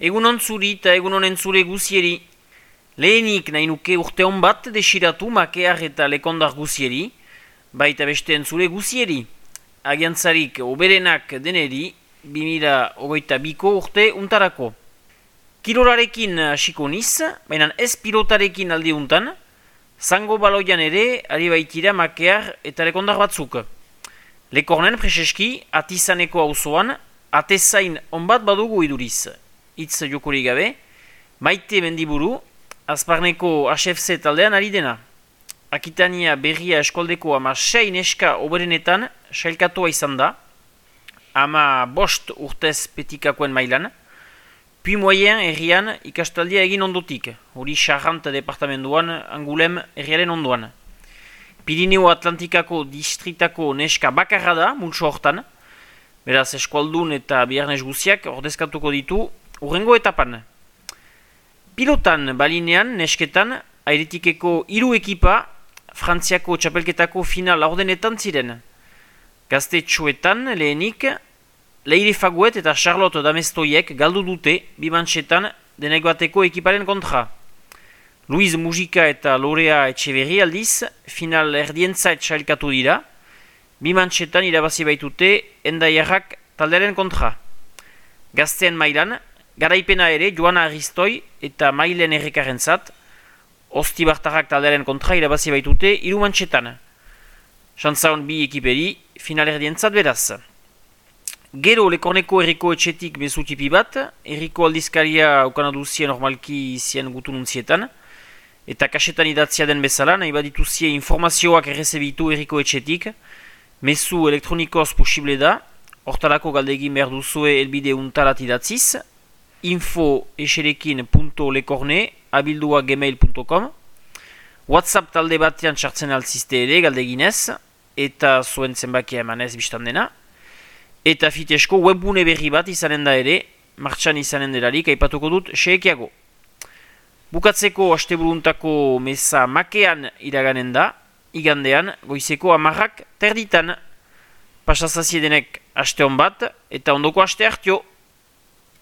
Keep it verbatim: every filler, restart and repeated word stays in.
Egunon zuri eta egunon entzule guzieri. Lehenik nahi nuke urte hon bat desiratu makear eta lekondar guzieri, baita beste entzule guzieri. Agiantzarik oberenak deneri, bi mila hogeita biko urte untarako. Kirolarekin hasiko niz, baina ez pilotarekin aldi untan, zango baloian ere ari baitira makear eta lekondar batzuk. Lekornen preseski atizaneko auzoan, atezain onbat badugu iduriz. Itz jokori gabe, Maite Mendiburu, Azparneko H F C taldean ari dena. Akitania Berria eskoldeko ama sei neska oberenetan sailkatua izan da, ama bost urtez petikakoen mailan, Puy Moyen herrian ikastaldia egin ondotik, hori Charente departamentuan Angulem herriaren ondoan. Pirineo Atlantikako distritako neska bakarra da, multso hortan, beraz eskualdun eta biharnez guziak ordezkatuko ditu urrengo etapan. Pilotan balinean, nesketan, airetikeko hiru ekipa Frantziako txapelketako final laurdenetan ziren. Gaztetxoetan lehenik, Leire Faguet eta Charlotte Damestoiek galdu dute bimantxetan denegoateko ekiparen kontra. Luiz Mujika eta Lorea Etxeberri aldiz, final erdientzait sailkatu dira, bimantxetan irabazi baitute endaiarrak taldearen kontra. Gazteen mailan, garaipena ere Joana Aristoi eta Mailen Errekarentzat, Ostibartarrak taldearen kontra irabazi baitute hiru mantxetan. Xantzaon bi ekiperi final erdientzat beraz. Gero Lekorneko herriko etxetik bezutipi bat, herriko aldizkaria aukanaduzien normalki zien gutununtzietan, eta kasetan idatzia den bezala, nahi badituzie informazioak errezebitu herriko etxetik, mezu elektronikoz posible da, hortalako galdegin behar duzue elbide untarat idatziz, info eserekin punto lekorne abildua gmail punto com, WhatsApp talde batean txartzen altzizte ere galdeginez, eta zuen zenbakia emanez biztan dena, eta fitesko webbune berri bat izanen da ere, martxan izanen delarik aipatuko dut seekiago. Bukatzeko asteburuntako meza makean iraganen da, igandean goizeko amarrak terditan. Pasazaziedenek aste hon bat, eta ondoko aste hartio.